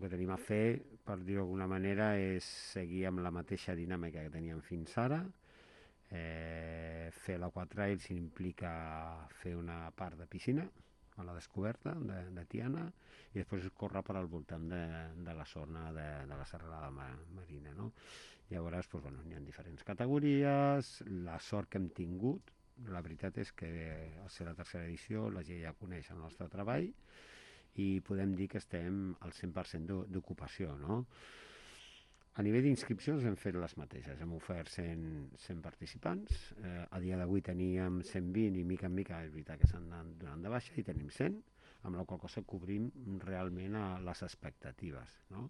que tenim a fer, per dir-ho d'alguna manera, és seguir amb la mateixa dinàmica que teníem fins ara. Fer l'Aquatrails implica fer una part de piscina a la descoberta de Tiana i després córrer per al voltant de la zona de la serralada marina, no? Llavors, doncs, bueno, hi ha diferents categories. La sort que hem tingut, la veritat és que al ser la tercera edició la gent ja coneix el nostre treball i podem dir que estem al 100% d'ocupació, no? A nivell d'inscripcions hem fet les mateixes, hem ofert 100 participants, a dia d'avui teníem 120 i mica en mica és veritat que s'han anat donant de baixa i tenim 100, amb la qual cosa cobrim realment les expectatives, no?